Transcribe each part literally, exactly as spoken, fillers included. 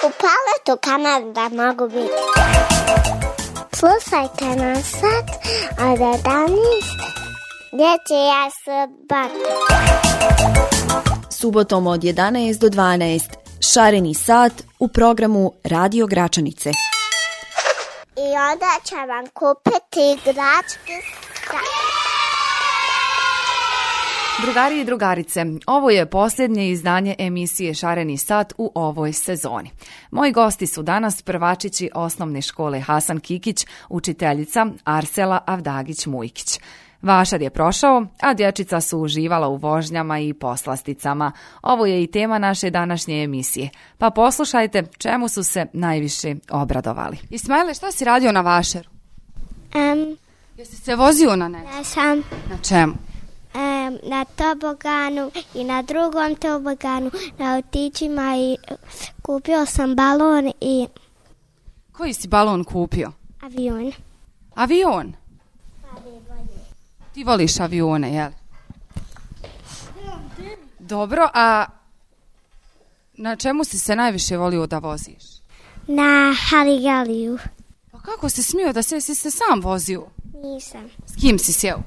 U Paletu Kanada mogu biti. Slušajte nas sad od jedanaest dječja subota. Subotom od jedanaest do dvanaest šareni sat u programu Radio Gračanice. I onda će vam kupiti igračke. Drugari i drugarice, ovo je posljednje izdanje emisije Šareni sat u ovoj sezoni. Moji gosti su danas prvačići osnovne škole Hasan Kikić, učiteljica Arsela Avdagić-Mujkić. Vašar je prošao, a dječica su uživala u vožnjama i poslasticama. Ovo je i tema naše današnje emisije. Pa poslušajte čemu su se najviše obradovali. Ismaile, šta si radio na Vašaru? Um, Jesi se vozio na nešto? ja sam Na čemu? um, na toboganu i na drugom toboganu, na autićima i kupio sam balon i Koji si balon kupio? avion. Avion? Ti voliš avione, jel? Dobro, a na čemu si se najviše volio da voziš? Na Haligaliju. Pa kako si smio da se, si se sam vozio? Nisam. S kim si sjeo?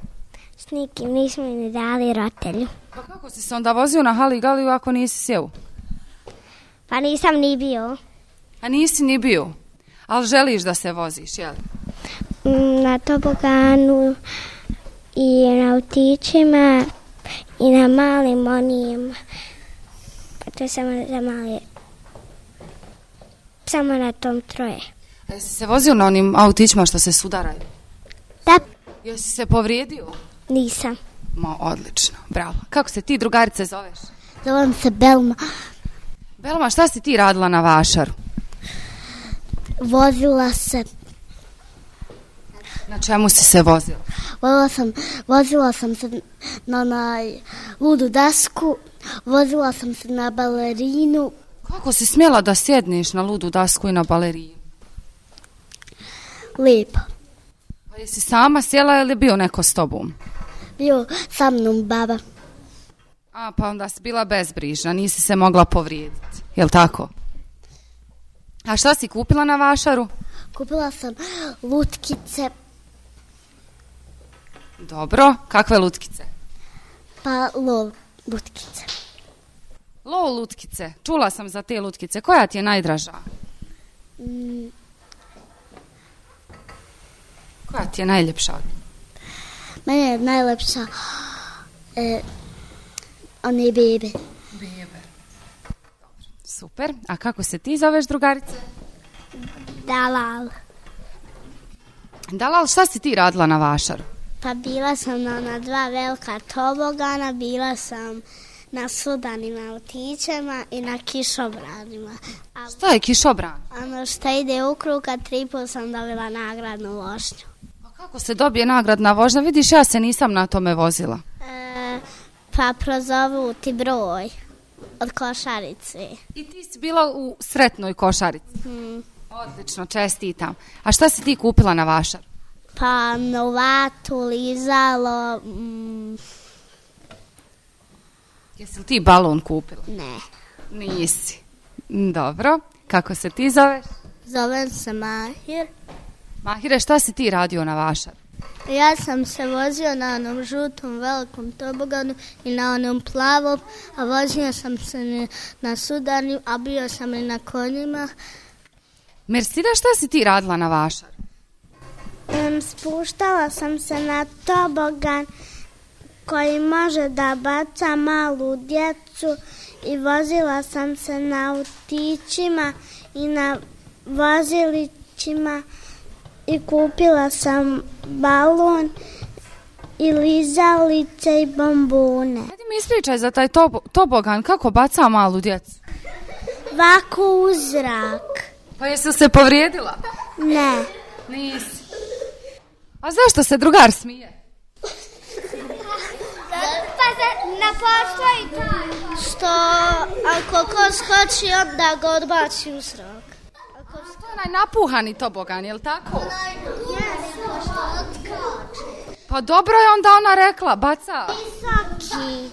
S nikim, nismo mi ni dali rotelju. Pa kako si se onda vozio na Haligaliju ako nisi sjeo? Pa nisam ni bio. A nisi ni bio, ali želiš da se voziš, jel? Mm, Na toboganu i na autićima i na malim onim, pa to je samo za mali, samo na tom troje. A jesi se vozio na onim autićima što se sudaraju? Da, Jesi se povrijedio? nisam. Ma, odlično, bravo. Kako se ti, drugarice, zoveš? Zovem se Belma. Belma, šta si ti radila na Vašaru? Vozila se, Na čemu si se vozila? vozila sam, vozila sam se na onaj ludu dasku, vozila sam se na balerinu. Kako si smjela da sjedneš na ludu dasku i na baleriju? Lijepo. Pa jesi sama sjela ili je bio neko s tobom? Bio sa mnom baba. A, pa onda si bila bezbrižna, nisi se mogla povrijediti, jel tako? A šta si kupila na Vašaru? Kupila sam lutkice, Dobro, kakve lutkice? pa lol lutkice. Lol lutkice, čula sam za te lutkice, koja ti je najdraža? Mm, Koja ti je najljepša? meni je najlepša e, one bebe. Bebe. Super, a kako se ti zoveš, drugarice? Dalal. Dalal, šta si ti radila na Vašaru? Pa bila sam na, na dva velika tobogana, bila sam na sudanim autićima i na kišobranima. A Šta je kišobran? ono što ide u krug, a tri put sam dobila nagradnu vožnju. Pa kako se dobije nagradna vožnja? Vidiš, ja se nisam na tome vozila. E, pa prozovu ti broj od košarice. I ti si bila u sretnoj košarici. Hmm. Odlično, čestitam. A šta si ti kupila na Vašar? Pa novatu, lizalo, mm, Jesi li ti balon kupila? ne. Nisi. Dobro, kako se ti zoveš? Zovem se Mahir. Mahire, šta si ti radio na Vašar? Ja sam se vozio na onom žutom velikom toboganu i na onom plavom, a vozio sam se na sudarnim, a bio sam i na konjima. Mersida, šta si ti radila na Vašar? Um, spuštala sam se na tobogan koji može da baca malu djecu i vozila sam se na autićima i na vozilićima i kupila sam balon i lizalice i bombone. Hajde mi ispričaj za taj tobo, tobogan, kako baca malu djecu? Ovako u zrak. Pa jesi li se povrijedila? Ne. Nisi. A zašto se drugar smije? Pa na postoji što ako ko skoči, onda ga odbaci u zrak. To je onaj napuhani tobogan, jel tako? Pa dobro je onda ona rekla, baca. Visoki.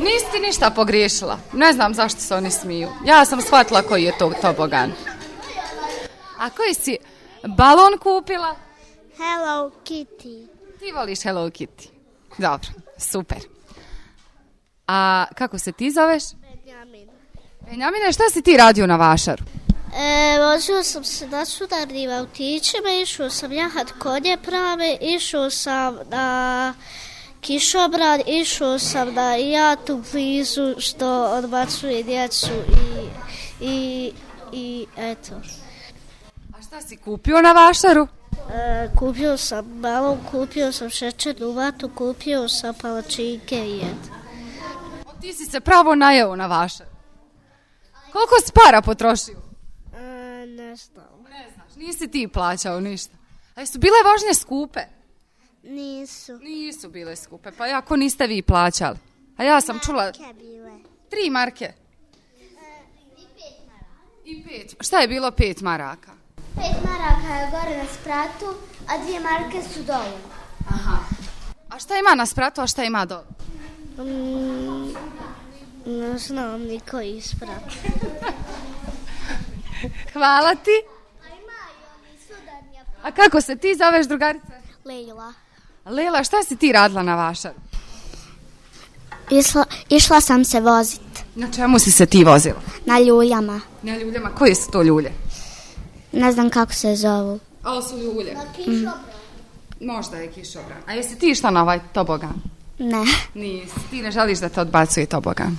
Nisi ti ništa pogriješila. Ne znam zašto se oni smiju. Ja sam shvatila koji je to tobogan. A koji si balon kupila? Hello Kitty. Ti voliš Hello Kitty. Dobro, super. A kako se ti zoveš? Benjamin. Benjamine, šta si ti radio na vašaru? E, vozio sam se na sudarnim autićima, išao sam jahat konje prave, išao sam na kišobran, išao sam na jatu blizu što odbacuje djecu i, i, i eto. A šta si kupio na vašaru? E, kupio sam balon, kupio sam šećernu vatu, kupio sam palačinke i eto. Ti si se pravo najeo na vašaru. Koliko si para potrošio? E, ne znam. Ne znaš, nisi ti plaćao ništa. A su bile vožnje skupe? Nisu. Nisu bile skupe, pa jako niste vi plaćali. A ja sam čula... Marke bile. Tri marke? E, I pet maraka. I pet. Šta je bilo pet maraka? Pet maraka je gore na spratu, a dvije marke su dole. Aha. A šta ima na spratu, a šta ima dole? Mm, ne znam niko isprat. Hvala ti. A imaju oni sudarnja. A kako se ti zoveš, drugarice? Lejla. Lela, šta si ti radila na vašaru? Išla, išla sam se vozit. Na čemu si se ti vozila? Na ljuljama. Na ljuljama. Koje su to ljulje? Ne znam kako se zovu. Ovo su ljulje. Na kišobran. Mm. Možda je kišobran. A jesi ti išla na ovaj tobogan? Ne. Nisi. Ti ne želiš da te odbacuje tobogan.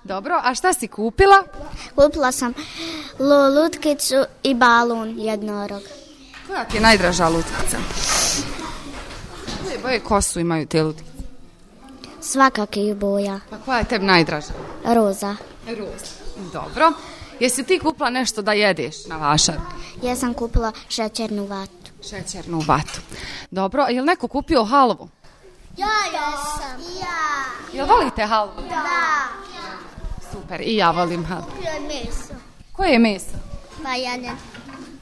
Dobro, a šta si kupila? Kupila sam lutkicu i balon jednorog. Koja ti je najdraža lutkica? Koje boje kosu imaju te lutkice? Svakakih boja. Pa koja je tebi najdraža? Roza. Roza. Dobro. Jesi ti kupila nešto da jedeš na vašaru? Ja sam kupila šećernu vatu. Šećernu vatu. Dobro, a je li neko kupio halvu? Ja, ja sam. Ja. Jel volite halvu? Da. Super, i ja volim halvu. Kupio je meso. Koje je meso? Pa ja ne.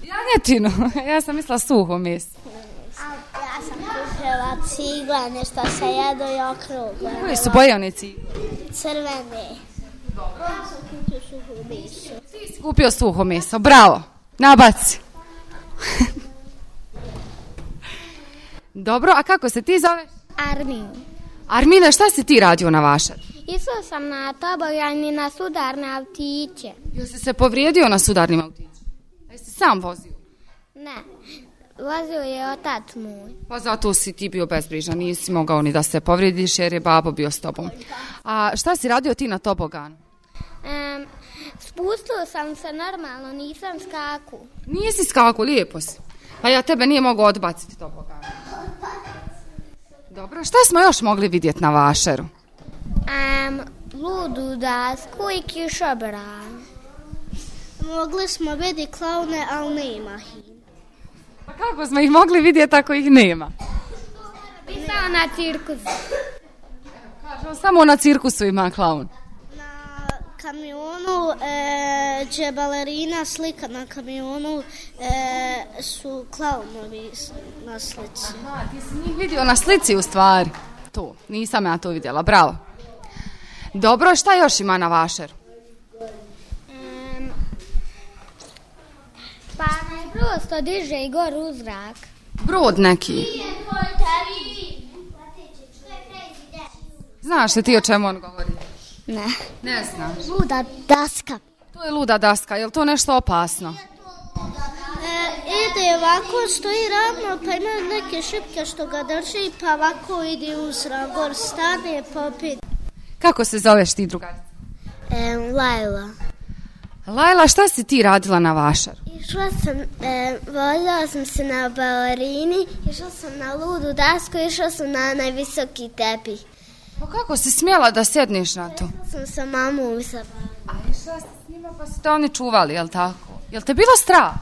Janjetinu. Ja sam mislila suho meso. Ja sam kupila cigle, nešto se jedo i okrugle. Koje su boje one cigle? Crvene. Ja sam kupio suho meso. Ti si kupio suho meso, bravo. Nabaci. Dobro, a kako se ti zoveš? Armin. Armine, šta si ti radio na vašaru? Išao sam na tobogan i na sudarne autiće. Jel si se povrijedio na sudarnim autićima? A jesi sam vozio? Ne, vozio je otac moj. Pa zato si ti bio bezbrižan, nisi mogao ni da se povrijediš jer je babo bio s tobom. A šta si radio ti na toboganu? Um, spustio sam se normalno, nisam skaku. Nisi skaku, lijepo si. Pa ja tebe nije mogao odbaciti tobogan. Dobro, šta smo još mogli vidjeti na vašaru? Um, ludu dasku i kišobran. Mogli smo vidjeti klaune, ali nema ih. Pa kako smo ih mogli vidjeti ako ih nema? Pisao na cirkusu. Kažem, samo na cirkusu ima klaun. Na kamionu, e, gdje balerina slika na kamionu, e, su klaunovi na slici. Aha, ti si njih vidio na slici u stvari. To, nisam ja to vidjela, bravo. Dobro, šta još ima na vašaru? Um, pa ne prosto diže i gor u zrak. Brod neki. Znaš li ti o čemu on govori? Ne. Ne znaš. Luda daska. To je luda daska, je li to nešto opasno? E, ide ovako, stoji ravno, pa ima neke šipke što ga drži, pa ovako ide u zrak, gor stane, pa opet. Kako se zoveš ti, drugarica? E, Lajla. Lajla, šta si ti radila na vašaru? Išla sam, e, vozila sam se na balerini, išla sam na ludu dasku, išla sam na najvisoki tepih. Pa kako si smjela da sedneš na to? Sam sa mamom usavala. A išla si s njima pa su te oni čuvali, jel tako? Jel te bilo strah?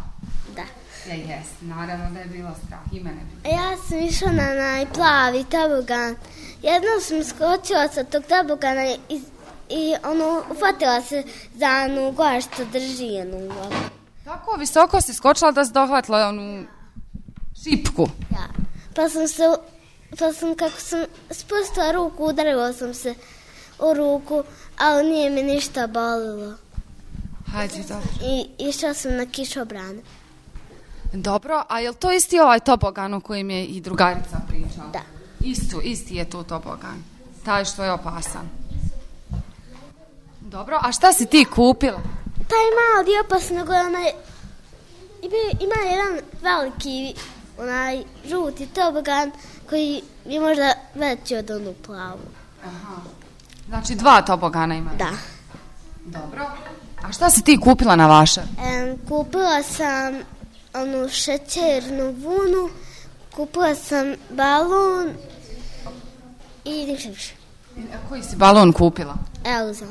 Da. Ja, jes, naravno da je bilo strah, i mene bilo. Ja sam išla na najplavi tobogan. Jednom sam skočila sa tog tobogana i, i ono, ufatila se za onu gore što drži jednu vodu. Tako visoko si skočila da si dohvatila onu šipku. Ja. Pa sam se, pa sam kako sam spustila ruku, udarila sam se u ruku, ali nije mi ništa bolilo. Hajde, dobro. I išla sam na kišobran. Dobro, a je li to isti ovaj tobogan o kojem je i drugarica pričala? Da. Isto, isti je to tobogan. Taj što je opasan. Dobro, a šta si ti kupila? Taj mali opasnog, onaj, ima jedan veliki, onaj žuti tobogan koji je možda veći od onu plavu. Aha. Znači dva tobogana ima? Da. Dobro. A šta si ti kupila na vašar? E, kupila sam onu šećernu vunu, kupila sam balon i ništa više. A koji si balon kupila? Elza.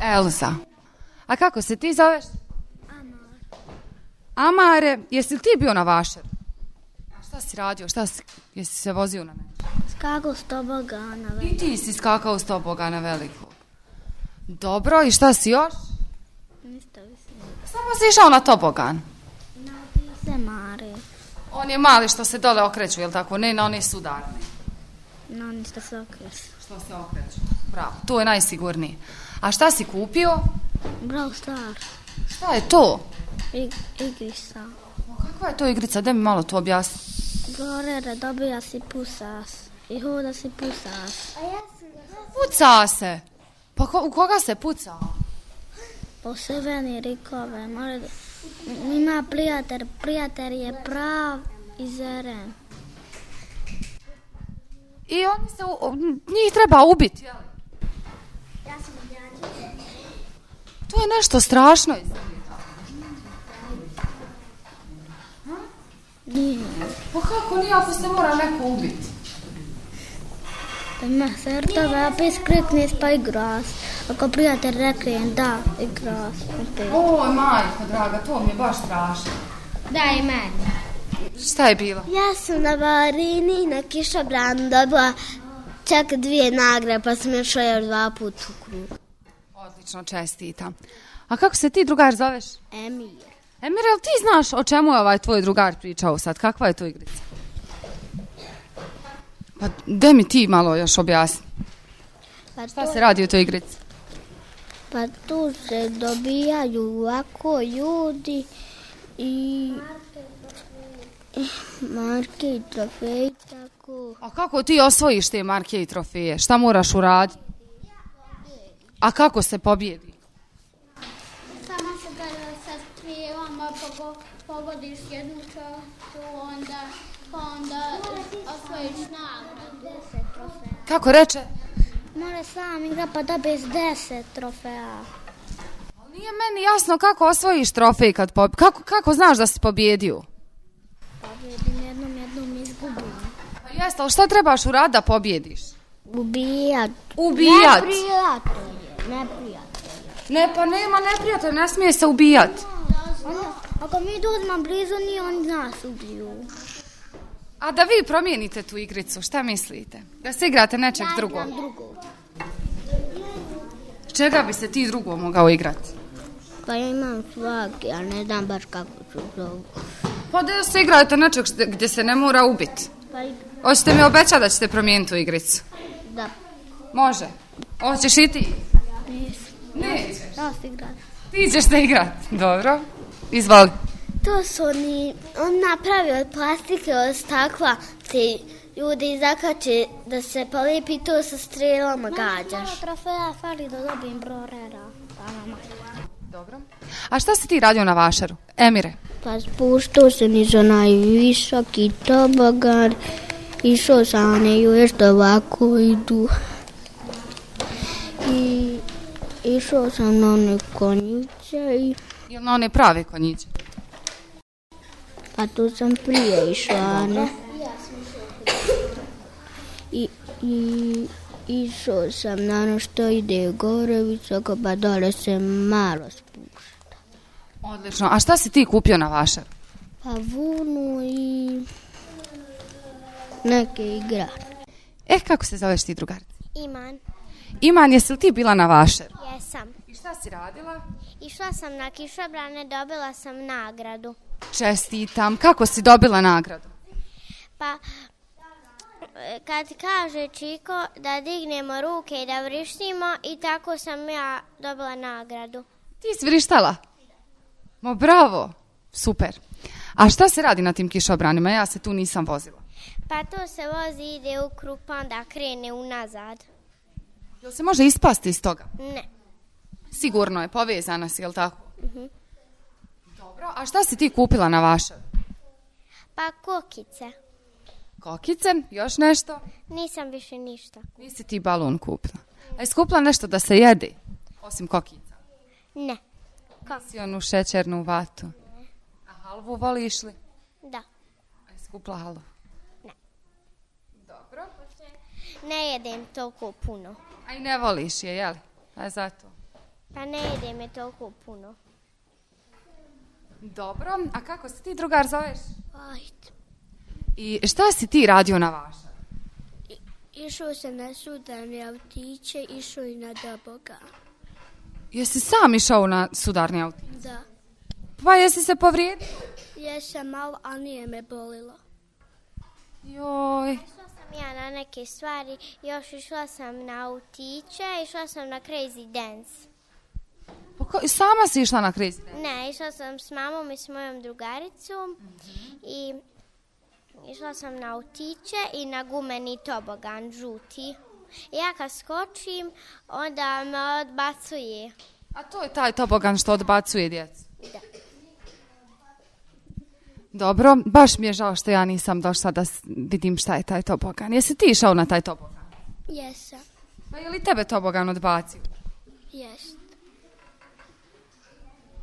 Elza. A kako se ti zoveš? Amar. Amare, jesi li ti bio na vašar? A šta si radio? Šta si, jesi se vozio na nešto? Skakao s tobogana. I ti si skakao s tobogana velikog. Dobro, i šta si još? Ništa više. Samo si išao na tobogan. Na se mare. On je mali što se dole okreću, jel tako? Ne na one sudarne. No, ništa se okreću. Što se okreću. Bravo, to je najsigurnije. A šta si kupio? Brawl Stars. Šta je to? I, igrica. Kakva je to igrica? Da mi malo to objasni. Gorere, dobija si pusas. I hoda si pusas. A ja sam... Puca se. Pa ko, u koga se puca? Po seveni rikove. More... Ima prijatelj. Prijatelj je prav i zeren. I oni se, u, njih treba ubiti, jel? Ja sam djadjica. To je nešto strašno. Nije. Pa kako nije ako se mora neko ubiti? Da ima srtove, opet skrikne pa igras. Ako prijatelj rekne da, igras. Oj, majko draga, to mi je baš strašno. Daj meni. Šta je bilo? Ja sam na balerini na kišobranu dobila čak dvije nagrade, pa sam još još dva puta u krug. Odlično, čestitam. A kako se ti drugar zoveš? Emir. Emir, jel ti znaš o čemu je ovaj tvoj drugar pričao sad? Kakva je to igrica? Pa de mi ti malo još objasni. Pa Šta to, se radi u toj igrici? pa tu se dobijaju ovako ljudi i marke i trofeji, tako. A kako ti osvojiš te marke i trofeje? Šta moraš uraditi? A kako se pobjedi? Samo se kada sa strijevama pogodiš jednu čašu, onda, onda osvojiš nagradu. Kako reče? Mora sam igra pa dobiješ deset trofeja. Nije meni jasno kako osvojiš trofej kad pob... Kako, kako znaš da si pobjedio? Pobjedim jednom, jednom izgubim. Pa jeste, ali šta trebaš uraditi da pobjediš? Ubijat. Ubijat. Neprijatelje, neprijatelje. Ne, pa nema neprijatelja, ne smije se ubijat. Onda, ako mi dođemo blizu, nije oni nas ubiju. A da vi promijenite tu igricu, šta mislite? Da se igrate nečeg drugog? Ja drugog. Čega bi se ti drugo mogao igrati? Pa ja imam svaki, a ne znam baš kako ću zovu. Pa da se igrate nečeg gdje se ne mora ubiti. Pa i... Hoćete mi obećati da ćete promijeniti tu igricu? Da. Može. Hoćeš i ti? Nisam. Nećeš. Da se igrati. Ti ćeš se igrati. Dobro. Izvoli. To su oni, on napravi od plastike, od stakla, te ljudi zakače da se polipi, to sa strelama gađaš. Malo trofeja fali da dobijem brorera. Dobro. A šta si ti radio na vašaru? Emire? Pa spuštao sam niz onaj visoki tobogan, išao sam one još da ovako idu. I išao sam na one konjice i... Jel na one prave konjiće? Pa tu sam prije išla, ne? I, i išao sam na ono što ide gore visoko, pa dole se malo spušta. Odlično. A šta si ti kupio na vašaru? Pa vunu i neke igrače. Eh, kako se zoveš ti drugarica? Iman. Iman, jesi li ti bila na vašaru? Jesam. I šta si radila? Išla sam na kišobrane, dobila sam nagradu. Čestitam. Kako si dobila nagradu? Pa kad kaže Čiko da dignemo ruke i da vrištimo i tako sam ja dobila nagradu. Ti si vrištala? Ma bravo, super. A šta se radi na tim kišobranima? Ja se tu nisam vozila. Pa to se vozi, ide u krug, pa onda krene unazad. Jel se može ispasti iz toga? Ne. Sigurno je, povezana si, jel tako? Uh-huh. Dobro, a šta si ti kupila na vašar? Pa kokice. Kokice, još nešto? Nisam više ništa. Nisi ti balon kupila. A jesi kupila nešto da se jede, osim kokica? Ne. Si onu šećernu vatu? Ne. A halvu voliš li? Da. A jesi kupila halvu? Ne. Dobro. Ne jedem toliko puno. A i ne voliš je, jel? A zato? Pa ne jedem je toliko puno. Dobro, a kako se ti drugar zoveš? Ajde. I šta si ti radio na vašar? Išao sam na sudarne autiće, išao i na Doboga. Jesi sam išao na sudarni autić? Da. Pa jesi se povrijedio? Jesam malo, ali nije me bolilo. Joj. Išla sam ja na neke stvari, još išla sam na autiće, išla sam na Crazy Dance. Pa ko, sama si išla na Crazy Dance? Ne, išla sam s mamom i s mojom drugaricom mm-hmm. i išla sam na autiće i na gumeni tobogan, žuti. I ja kad skočim, onda me odbacuje. A to je taj tobogan što odbacuje djecu? Da. Dobro, baš mi je žao što ja nisam došla da vidim šta je taj tobogan. Jesi ti išao na taj tobogan? Jesam. Pa je li tebe tobogan odbacio? Jest.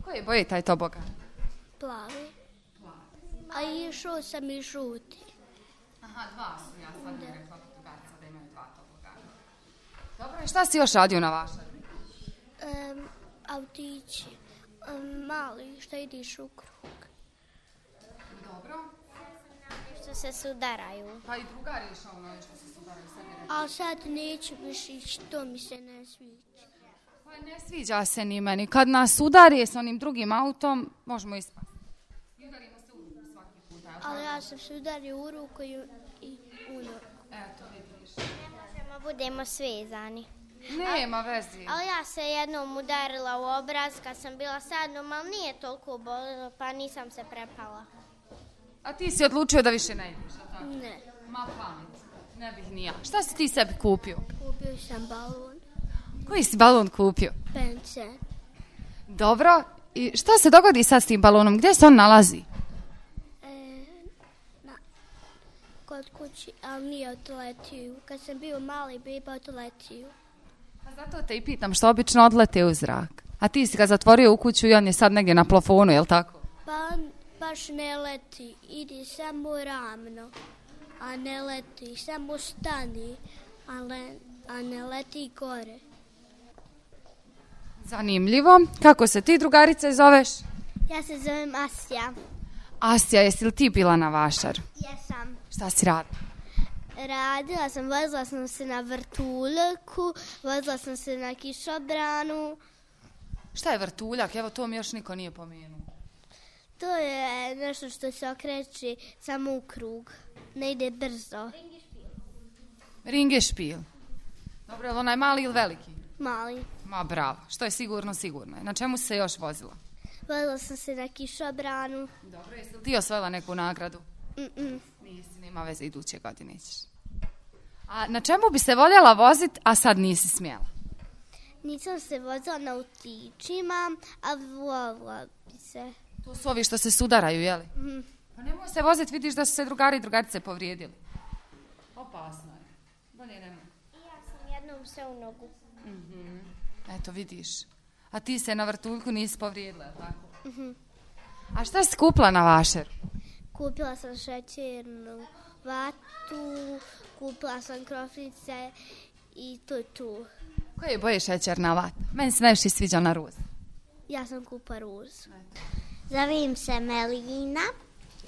Koje boje taj tobogan? Plavi. A išao sam i žuti. Aha, dva su, ja sam ne rekla drugarca da imaju dva tobogana. Dobro, i šta si još radio na vašar? Um, autići. Um, mali, šta ideš u krug. Dobro. Što se sudaraju. Pa i drugar je išao na što se sudaraju. A sad neću više ići, to mi se ne sviđa. Pa ne sviđa se ni meni. Kad nas udari s onim drugim autom, možemo ispasti. Udarimo se u ruku svaki puta. Ali ja sam se udario u ruku i, i u nogu. Eto, vidiš. Ne možemo, budemo svezani. Nema vezi. Ali ja se jednom udarila u obraz kad sam bila sa mnom, ali nije toliko bolilo, pa nisam se prepala. A ti si odlučio da više ne ideš, a tako? Ne. Ma pamet, ne bih ni ja. Šta si ti sebi kupio? Kupio sam balon. Koji si balon kupio? Pence. Dobro, i šta se dogodi sad s tim balonom? Gdje se on nalazi? E, na, kod kući, ali nije odletio. Kad sam bio mali, biba odletio. Pa zato te i pitam, što obično odlete u zrak. A ti si ga zatvorio u kuću i on je sad negdje na plafonu, je li tako? Pa on baš ne leti, idi samo ravno, a ne leti, samo stani, a, le, a ne leti gore. Zanimljivo. Kako se ti drugarice zoveš? Ja se zovem Asja. Asja, jesi li ti bila na vašar? Jesam. Šta si radila? Radila sam, vozila sam se na vrtuljku, vozila sam se na kišobranu. Šta je vrtuljak? Evo, to mi još niko nije pomenuo. To je nešto što se okreće samo u krug. Ne ide brzo. Ringešpil. Dobro, je li onaj mali ili veliki? Mali. Ma bravo, što je sigurno, sigurno je. Na čemu se još vozila? Vozila sam se na kišobranu. Dobro, jesi li ti osvojila neku nagradu? Mm-mm. Nisi, nema veze, iduće godine ćeš. A na čemu bi se voljela voziti, a sad nisi smjela? Nisam se vozila na autićima, ali voljela bi se. To su ovi što se sudaraju, jeli? Mm. Pa nemoj se voziti, vidiš da su se drugari i drugarice povrijedili. Opasno je. Bolje nemoj. Ja sam jednom se u nogu. Mm-hmm. Eto, vidiš. A ti se na vrtuljku nisi povrijedila, tako? Mm-hmm. A šta si kupila na vašer? Kupila sam šećernu vatu, kupila sam krofnice i to je tu. Koje boje šećerna vata? Meni se najviše sviđa na ruz. Ja sam kupa ruz. Zovem se Melina.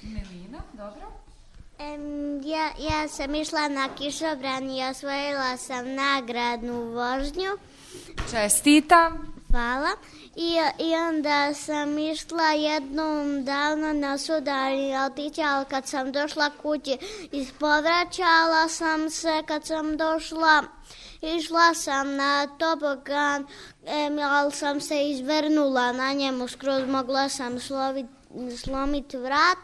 Melina, dobro. Um, ja, ja sam išla na kišobran i osvojila sam nagradnu vožnju. Čestitam. hvala. I, I onda sam išla jednom davno na sudarni autić, ali kad sam došla kući ispovraćala sam se, kad sam došla, išla sam na tobogan, em, ali sam se izvrnula na njemu, skroz mogla sam slovit, slomit vrat.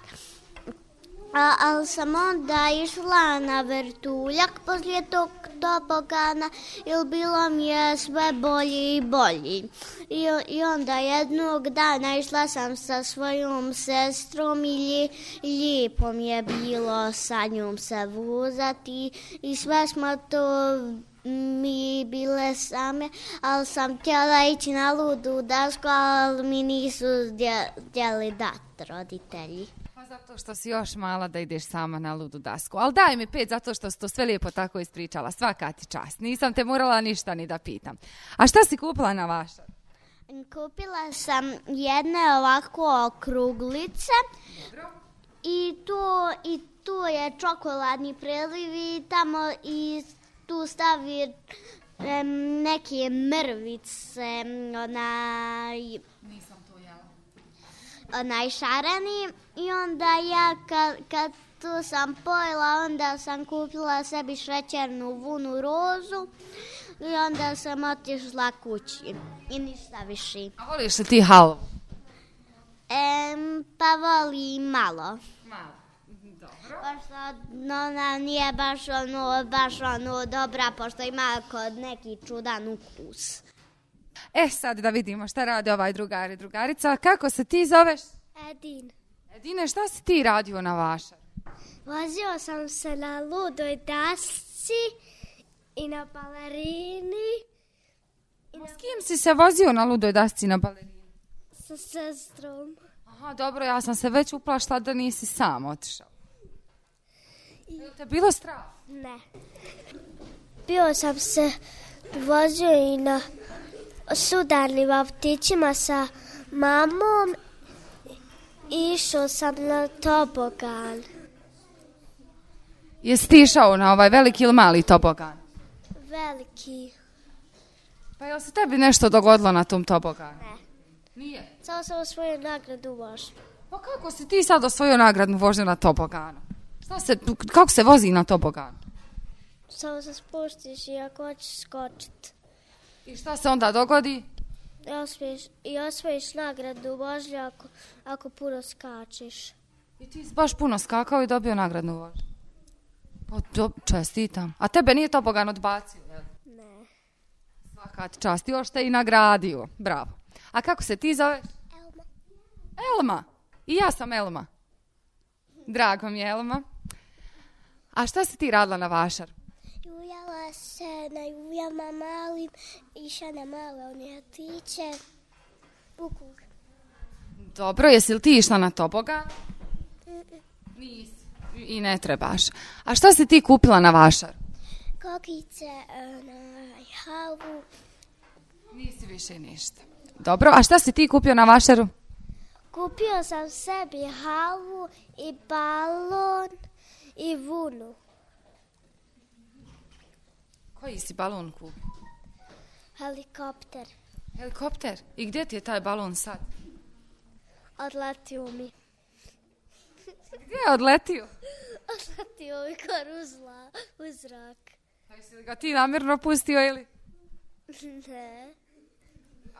A, ali sam onda išla na vrtuljak poslije tog tobogana i bilo mi je sve bolji i bolji. I, i onda jednog dana išla sam sa svojom sestrom i lji, lijepo mi je bilo sa njom se vozati i sve smo to mi bile same, ali sam htjela ići na ludu dasku, ali mi nisu htjeli dati roditelji. Zato što si još mala da ideš sama na ludu dasku. Ali daj mi pet zato što si to sve lijepo tako ispričala. Svaka ti čast. Nisam te morala ništa ni da pitam. A šta si kupila na vašar? Kupila sam jedne ovako okruglice. Dobro. I tu, i tu je čokoladni preliv i tamo i tu stavi um, neke mrvice, onaj... Nisam to jela. Onaj šareni i onda ja kad, kad tu sam pojela, onda sam kupila sebi šećernu vunu rozu i onda sam otišla kući i ništa više. A voliš li ti halvu? Em, pa volim malo. Malo, dobro. Pošto ona nije baš ono, baš ono dobra, pošto ima kod neki čudan ukus. E sad da vidimo šta rade ovaj drugar i drugarica. Kako se ti zoveš? Edin. Edine, šta si ti radio na vašar? Vozio sam se na ludoj dasci i na balerini. I na... S kim si se vozio na ludoj dasci na balerini? Sa sestrom. Aha, dobro, ja sam se već uplašila da nisi sam otišao. I... Je li te bilo strah? Ne. Bio sam se vozio i na sudarnim autićima sa mamom. Išao sam na tobogan. Jesi ti išao na ovaj veliki ili mali tobogan? Veliki. Pa je li se tebi nešto dogodilo na tom toboganu? Ne. Nije? Samo sam osvojio nagradu vožnju. Pa kako si ti sad osvojio nagradnu vožnju na toboganu? Šta se, kako se vozi na toboganu? Samo se spuštiš i ako hoćeš skočiti. I šta se onda dogodi? I osvojiš, i osvojiš nagradu vožnju ako, ako puno skačeš. I ti si baš puno skakao i dobio nagradnu vožnju? Pa do, čestitam. A tebe nije tobogan odbacio, jel? Ne. Svaka ti čast. Još te i nagradio. Bravo. A kako se ti zoveš? Elma. Elma. I ja sam Elma. Drago mi je, Elma. A šta si ti radila na vašar? Ujala se na ujama malim, iša na male one atiće, bukug. Dobro, jesi li ti išla na tobogan? Nisi. I ne trebaš. A šta si ti kupila na vašar? Kokice, na halvu. Nisi više ništa. Dobro, a šta si ti kupio na vašaru? Kupio sam sebi halvu i balon i vunu. Koji si balon kupio? Helikopter. Helikopter? I gdje ti je taj balon sad? Odletio mi. Gdje je odletio? Odletio mi koruzla u zrak. A jesi li ga ti namjerno pustio ili? Ne.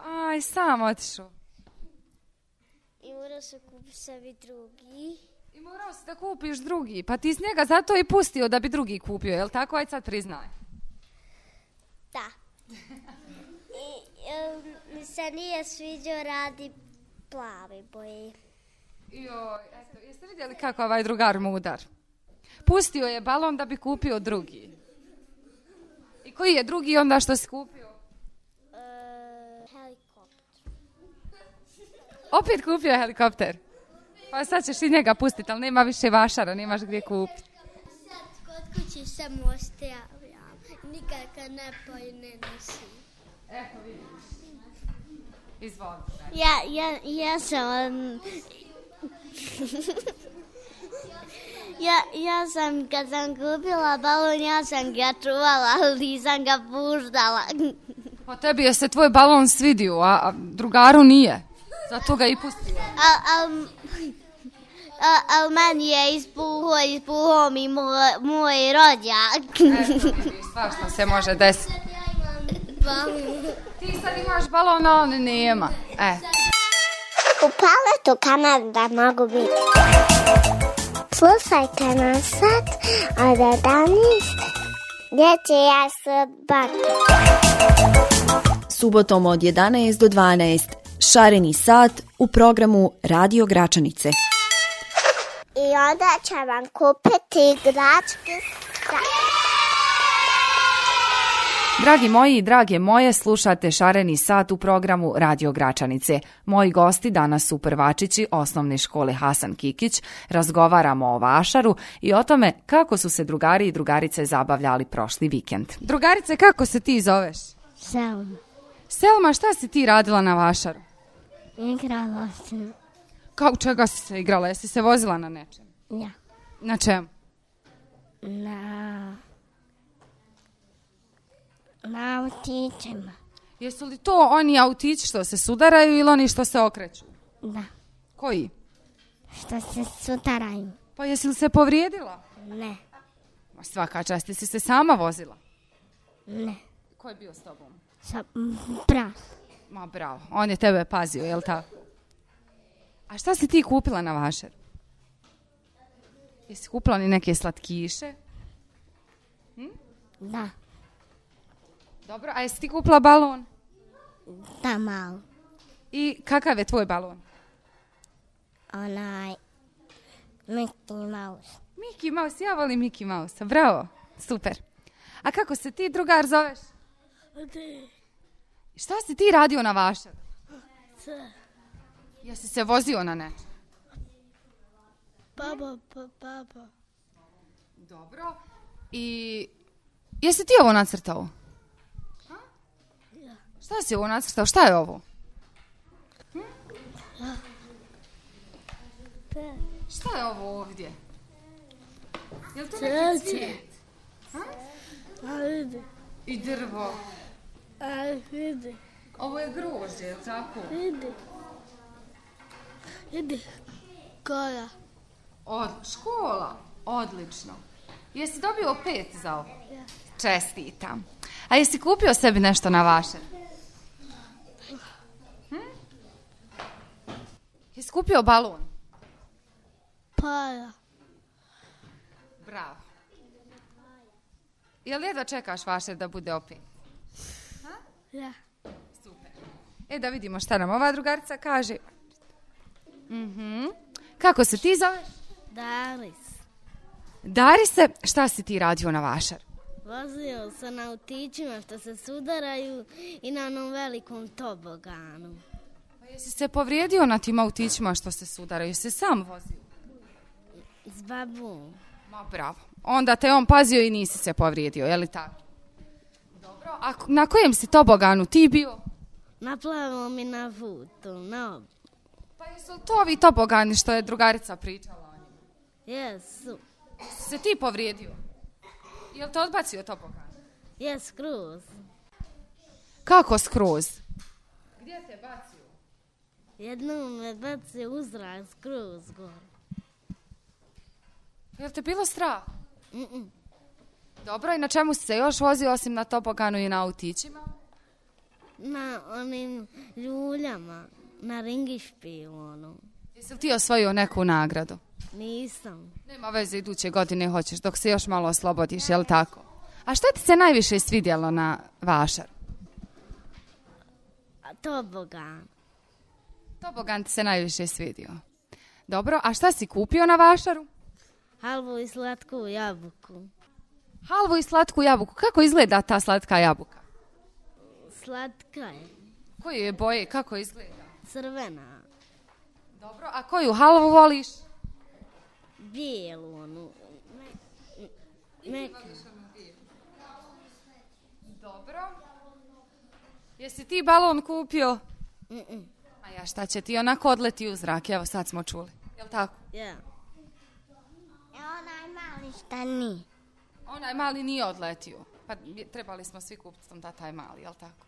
Aj, sam otišao. I morao se kupiti sebi drugi. I morao si da kupiš drugi. Pa ti s njega zato i pustio da bi drugi kupio, jel tako? Aj sad priznaj. Da. I um, mi se nije sviđao radi plavi boje. Joj, eto, jeste vidjeli kako ovaj drugar mudar? Pustio je balon da bi kupio drugi. I koji je drugi onda što si kupio? Uh, helikopter. Opet kupio helikopter? Pa sad ćeš i njega pustiti, ali nema više vašara, nemaš gdje kupiti. Sad kod kući samo ostavljam. Nikaka ne poj ne nosim. Eto vidiš. Izvoli. Ja, ja, ja sam... ja, ja sam, kad sam kupila balon, ja sam ga čuvala, ali nisam ga puštala. Pa tebi je se tvoj balon svidio, a, a drugaru nije. Zato ga i pustio. A, a, a, a meni je ispuho, ispuho mi moj, moj rođak. Eto, vidiš, svašta se može desiti. Ti sad imaš balon, a on nema. E. U paletu Kanada mogu biti. Slušajte nas sad od jedanaest gdje će ja sobati. Subotom od jedanaest do dvanaest Šareni sat u programu Radio Gračanice. I onda će vam kupiti igračke. Dragi moji i drage moje, slušate Šareni sat u programu Radio Gračanice. Moji gosti danas su prvačići osnovne škole Hasan Kikić. Razgovaramo o vašaru i o tome kako su se drugari i drugarice zabavljali prošli vikend. Drugarice, kako se ti zoveš? Selma. Selma, šta si ti radila na vašaru? Igrala se. Kao čega si se igrala? Jesi se vozila na nečem? Ja. Na čem? Na... Na autićima. Jesu li to oni autići što se sudaraju ili oni što se okreću? Da. Koji? Što se sudaraju. Pa jesi li se povrijedila? Ne. Ma svaka čast, jesi se sama vozila? Ne. Ko je bio s tobom? Sa brat. Ma bravo, on je tebe pazio, jel tako? A šta si ti kupila na vašar? Jesi kupila ni neke slatkiše? Hm? Da. Dobro, a jesi ti kupila balon? Da, malo. I kakav je tvoj balon? Onaj... Mickey Mouse. Mickey Mouse, ja volim Mickey Mouse, bravo, super. A kako se ti, drugar, zoveš? Šta si ti radio na vašar? Sve. Jesi se vozio na nešto? Baba, pa, baba. Dobro. I jesi ti ovo nacrtao? Ha? Ja. Šta si ovo nacrtao? Šta je ovo? Hm? Ja. Šta je ovo ovdje? Je li to neki cvijet? Ha? A vidi. I drvo. A vidi. Ovo je grožđe, je li tako? Vidi. Vidi. Koja? Od škola. Odlično. Jesi dobio pet za ovo? Ja. Čestitam. A jesi kupio sebi nešto na vašar? Hm? Jesi kupio balon? Para. Bravo. Jel jedva čekaš vašar da bude opet? Ha? Ja. Super. E da vidimo šta nam ova drugarica kaže. Mhm. Kako se ti zoveš? Daris. Darise, šta si ti radio na vašar? Vozio se na autićima što se sudaraju i na onom velikom toboganu. Pa jesi se povrijedio na tim autićima što se sudaraju? Jesi se sam vozio? S babom. Ma bravo. Onda te on pazio i nisi se povrijedio, je li tako? Dobro. A na kojem si toboganu ti bio? Na plavom i na vutu, na ob... Pa jesu li to ovi tobogani što je drugarica pričala o njima? Jesu. Si se ti povrijedio? Je li te odbacio tobogan? Jes, skroz. Kako skroz? Gdje te bacio? Jednom me bacio uzrak skroz gore. Je li te bilo strah? Mm-mm. Dobro, i na čemu si se još vozio osim na toboganu i na autićima? Na onim ljuljama, na ringišpilonu. Jesi li ti osvojio neku nagradu? Nisam. Nema veze, iduće godine hoćeš dok se još malo oslobodiš, je li tako? A šta ti se najviše svidjelo na vašar? A tobogan. Tobogan ti se najviše svidio. Dobro, a šta si kupio na vašaru? Halvu i slatku jabuku. Halvu i slatku jabuku. Kako izgleda ta slatka jabuka? Slatka je. Koje je boje? Kako izgleda? Crvena. Dobro, a koju halvu voliš? Bijelu onu. Meku. Dobro. Jesi ti balon kupio? Mm-mm. A ja šta će ti onako odleti u zrak? Evo sad smo čuli. Jel tako? Ja. E onaj mali šta ni. Onaj mali nije odletio. Pa trebali smo svi kupiti tom da taj mali, jel tako?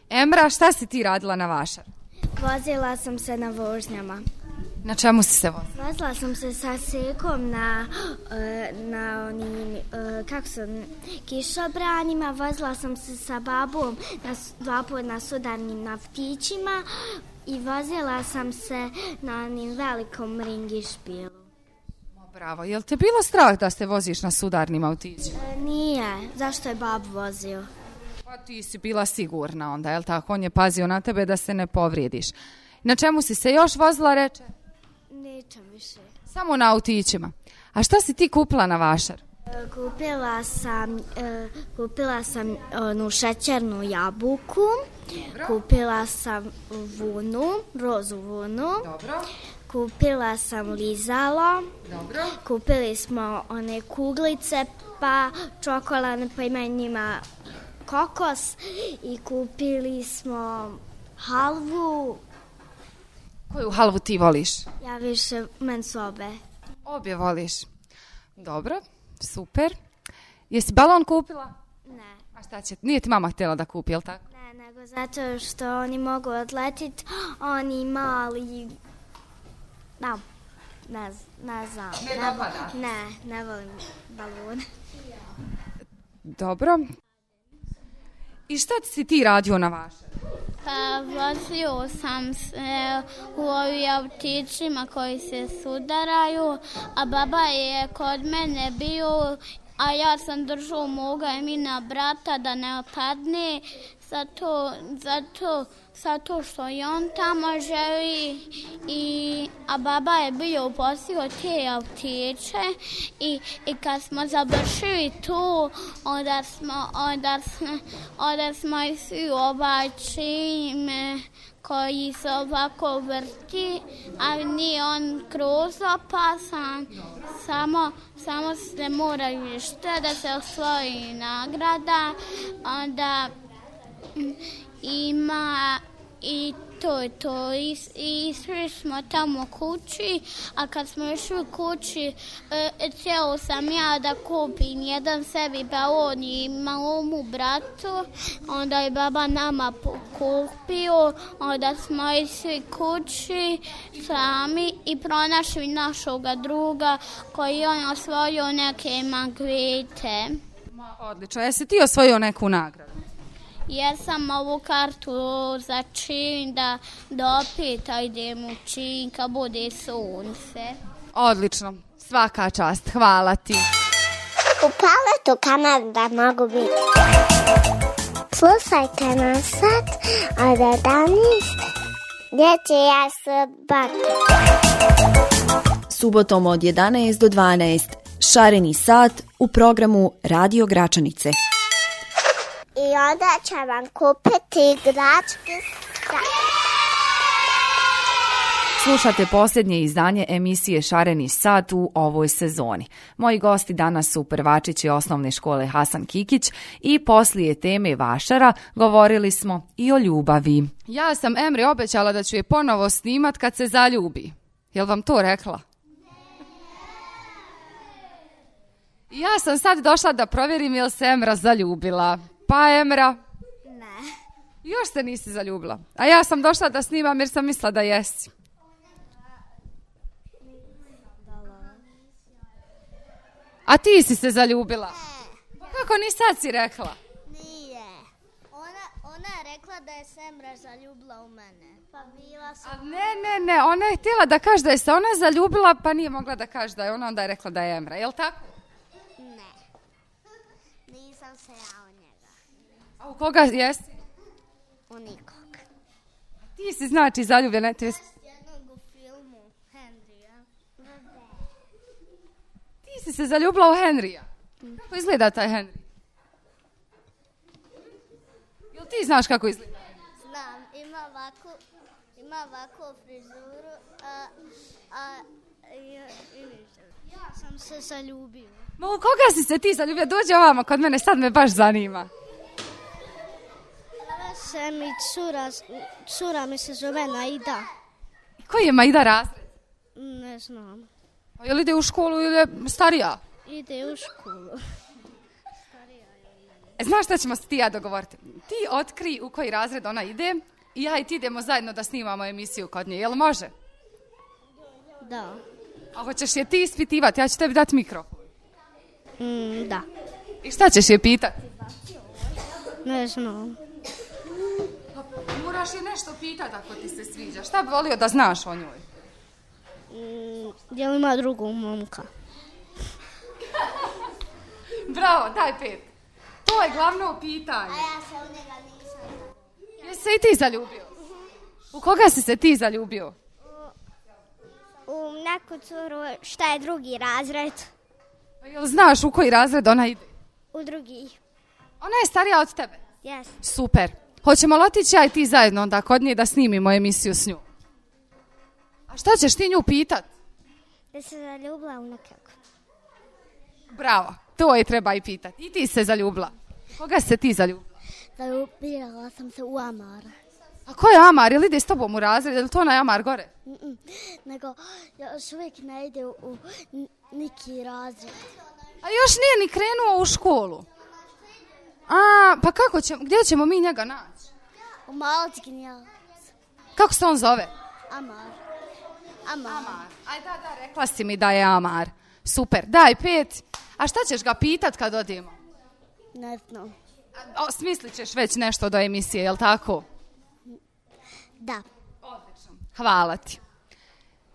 Emra, šta si ti radila na vašar? Vozila sam se na vožnjama. Na čemu si se vozila? Vozila sam se sa sekom na, na onim, kako su, kišobranima. Vozila sam se sa babom na, dva put na sudarnim naftićima i vozila sam se na onim velikom ringišpilu. Bravo, jel te bilo strah da se voziš na sudarnim autićima? E, nije, zašto je bab vozio? Pa ti si bila sigurna onda, jel tako? On je pazio na tebe da se ne povrijediš. Na čemu si se još vozila, reče? Nećem više. Samo na autićima. A šta si ti kupila na vašar? E, kupila sam, e, kupila sam onu šećernu jabuku. Dobro. Kupila sam vunu, rozu vunu. Dobro. Kupila sam lizalo. Dobro. Kupili smo one kuglice, pa čokoladne, pa ima njima kokos. I kupili smo halvu. Koju halvu ti voliš? Ja više, men su obe. Obje voliš. Dobro, super. Jesi balon kupila? Ne. A šta će? Nije ti mama htjela da kupi, jel tako? Ne, nego zato što oni mogu odletiti, oni mali... Da, ne, ne znam. Ne dopada? Ne, ne volim balone. Dobro. I šta si ti radio na vašem? Pa vozio sam se u ovim autićima koji se sudaraju, a baba je kod mene bio, a ja sam držao moga i mina brata da ne padne, zato, zato, zato što i on tamo želi, i, a baba je bio posio te autiće i, i kad smo završili tu, onda smo, onda smo, onda smo i svi ovaj čim koji se ovako vrti, a nije on kroz opasan, samo, samo se moraju što da se osvoji nagrada, onda ima i to je to. I, i išli smo tamo kući, a kad smo išli kući, e, cijelo sam ja da kupim jedan sebi balon i malomu bratu, onda je baba nama kupio, onda smo išli kući sami i pronašli našoga druga koji on osvojio neke magvete. Ma, odlično. Jesi ti osvojio neku nagradu? Ja sam ovu kartu za čin da, da opet idem u čin kad bude sunce. Odlično. Svaka čast. Hvala ti. U paletu Kanada mogu biti. Slušajte nas sad od jedanaest gdje će ja se bati. Subotom od jedanaest do dvanaest Šareni sat u programu Radio Gračanice. I onda će vam kupiti igračke sat. Slušate posljednje izdanje emisije Šareni sat u ovoj sezoni. Moji gosti danas su prvačići osnovne škole Hasan Kikić i poslije teme vašara govorili smo i o ljubavi. Ja sam Emri obećala da ću je ponovo snimat kad se zaljubi. Jel vam to rekla? Ja sam sad došla da provjerim jel se Emra zaljubila. Pa Emra? Ne. Još se nisi zaljubila. A ja sam došla da snimam jer sam mislila da jesi. A ti si se zaljubila? Kako ni sad si rekla? Nije. Ona, ona je rekla da je Emra zaljubila u mene. Pa bila sam... A ne, ne, ne. Ona je htjela da kaže da je se ona zaljubila, pa nije mogla da kaže da je ona, onda je rekla da je Emra. Jel tako? Ne. Nisam se ja u njega. A u koga jesi? U nikog. Ti si znači zaljubljena. Ti, Jednog u filmu Henrya. ti si se zaljubila u Henrya. Kako izgleda taj Henry? Jel ti znaš kako izgleda? Znam, ima ovako, ima ovako frizuru, a, a i, i Ja sam se zaljubila. Ma u koga si se ti zaljubila? Dođi ovamo kod mene, sad me baš zanima. Zove se mi cura, cura mi se zove Naida. Koji je Maida razred? Ne znam. Pa je li ide u školu ili je starija? Ide u školu. Znaš šta ćemo se ti ja dogovoriti? Ti otkri u koji razred ona ide i ja i ti idemo zajedno da snimamo emisiju kod nje. Jel može? Da. A hoćeš je ti ispitivati? Ja ću tebi dati mikrofon. Mm, da. I šta ćeš je pitati? Ne znam. Moraš je nešto pitati ako ti se sviđa. Šta bi volio da znaš o njoj? Mm, je li ima drugog momka? Bravo, daj pet. To je glavno pitanje. A ja se u njega nisam. Jesi se i ti zaljubio? U koga si se ti zaljubio? U neku curu šta je drugi razred. Pa jel znaš u koji razred ona ide? U drugi. Ona je starija od tebe? Yes. Super. Hoćemo li otići ja i ti zajedno onda kod nje da snimimo emisiju s njom? A šta ćeš ti nju pitat? Da se zaljubila u nekog. Bravo, to je treba i pitat. I ti se zaljubila. Koga se ti zaljubila? Zaljubila sam se u Amara. A ko je Amar? Jel ide s tobom u razred? Jel to onaj Amar gore? Mm-mm. Nego još uvijek ne ide u, u neki razred. A još nije ni krenuo u školu. A, pa kako ćemo, gdje ćemo mi njega naći? U Malckinja. Kako se on zove? Amar. Amar. Amar. Aj da, da, rekla si mi da je Amar. Super, daj pet. A šta ćeš ga pitat kad odemo? Ne znam. O, smislit ćeš već nešto do emisije, jel tako? Da. Odlično. Hvala ti.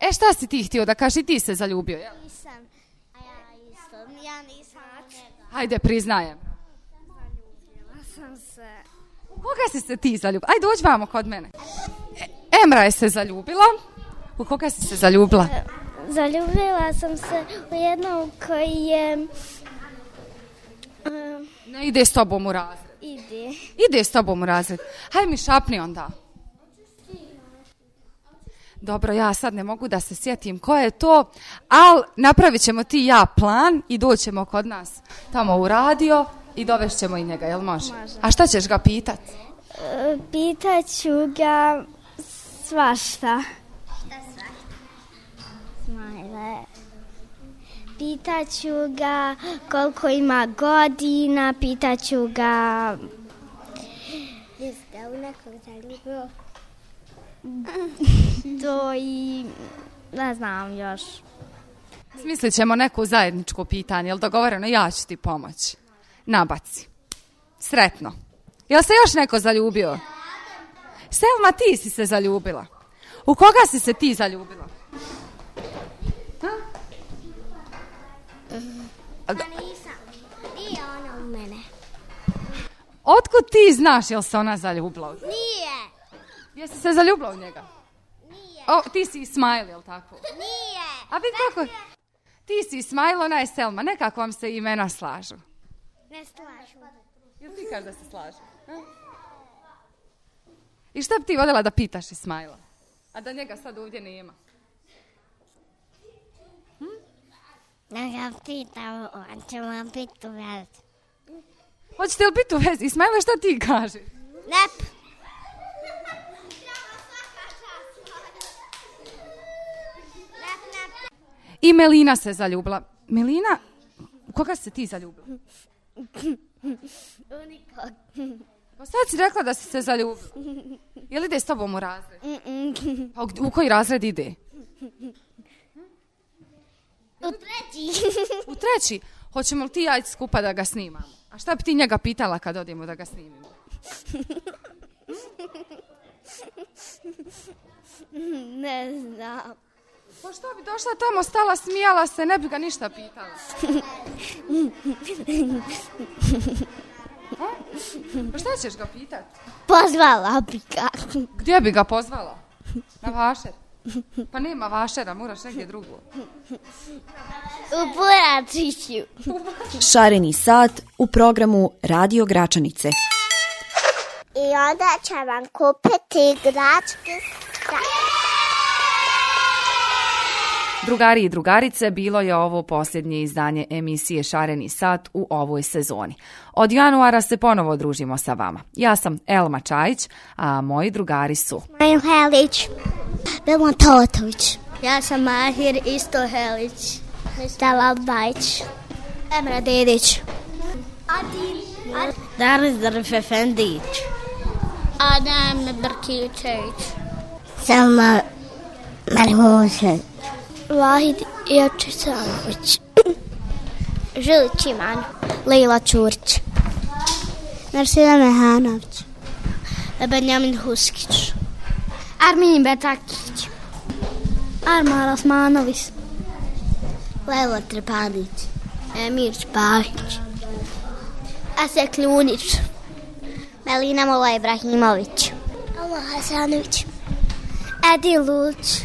E, šta si ti htio da kaži, ti se zaljubio, jel? Nisam. A ja isto. Ja nisam. Hajde, priznajem. Zaljubila sam se. U koga si se ti zaljubila? Ajde, dođi vamo kod mene. E, Emra je se zaljubila. U koga si se zaljubila? Zaljubila sam se u jednog koji je... Um, Ne ide s tobom u razred. ide. Ide s tobom u razred. Hajde mi šapni onda. Dobro, ja sad ne mogu da se sjetim ko je to, ali napravit ćemo ti i ja plan i doćemo kod nas tamo u radio i dovešćemo i njega, jel može? Može. A šta ćeš ga pitat? E, Pitaću ga svašta. Šta svašta? Smajle. Pitaću ga koliko ima godina, pitaću ga... Jeste u nekog zaljubio? To i... ne znam još. Smislit ćemo neku zajedničko pitanje, jel dogovoreno? Ja ću ti pomoći. Nabaci. Sretno. Jel se još neko zaljubio? Selma, ti si se zaljubila. U koga si se ti zaljubila? Ha? Pa nisam. Nije ona u mene. Otkud ti znaš jel se ona zaljubila? Nije. Jesi se zaljubila u njega? Nije. O, ti si Ismail, jel tako? Nije. A vidi kako... Ti si Ismail, ona je Selma. Nekako vam se imena slažu. Ne slažu. Jel ti kaži da se slažu? Ha? I šta bi ti voljela da pitaš Ismaila? A da njega sad ovdje nema? Da ga pitam, on će vam biti u vezi. Hoćete li biti u vezi? Ismaila, šta ti kaži? Nep. I Melina se zaljubila. Melina, u koga se ti zaljubila? U nikog. Pa sad si rekla da si se zaljubila. Jel ide s tobom u razred? Pa u, u koji razred ide? U treći. U treći. Hoćemo li ti ja ići skupa da ga snimamo? A šta bi ti njega pitala kad odemo da ga snimimo? Ne znam. Pa što bi došla tamo, stala, smijala se, ne bi ga ništa pitala. A? Pa šta ćeš ga pitati? Pozvala bi ga. Gdje bi ga pozvala? Na vašer? Pa nema vašera, moraš negdje drugo. U Buračiću. Šareni sat u programu Radio Gračanice. I onda će vam kupiti igračke. Drugari i drugarice, bilo je ovo posljednje izdanje emisije Šareni sat u ovoj sezoni. Od januara se ponovo družimo sa vama. Ja sam Elma Čajić, a moji drugari su... Majo Helić. Bela Totović. Ja sam Mahir Isto Helić. Stela Bajić. Emra Dedić. Adin Daris Darif Efendić. Adem Brkičević. Selma Merhušević. Vahid Jačisanović. Žilić Iman. Lejla Čurić. Narsila Mehanović. Benjamin Huskić. Armin Betakić. Armar Osmanović. Lelo Trepanić. Emir Spahić. Asek Ljunić. Melina Mola Ibrahimović. Allah Hasanović. Edi Luć.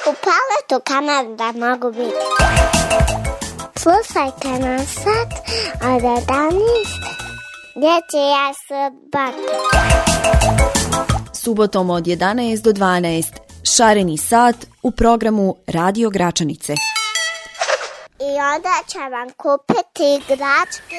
U paletu Kanada mogu biti. Slušajte nas sad od jedanaest gdje će ja se bati. Subotom od jedanaest do dvanaest Šareni sat u programu Radio Gračanice. I onda će vam kupiti igračke.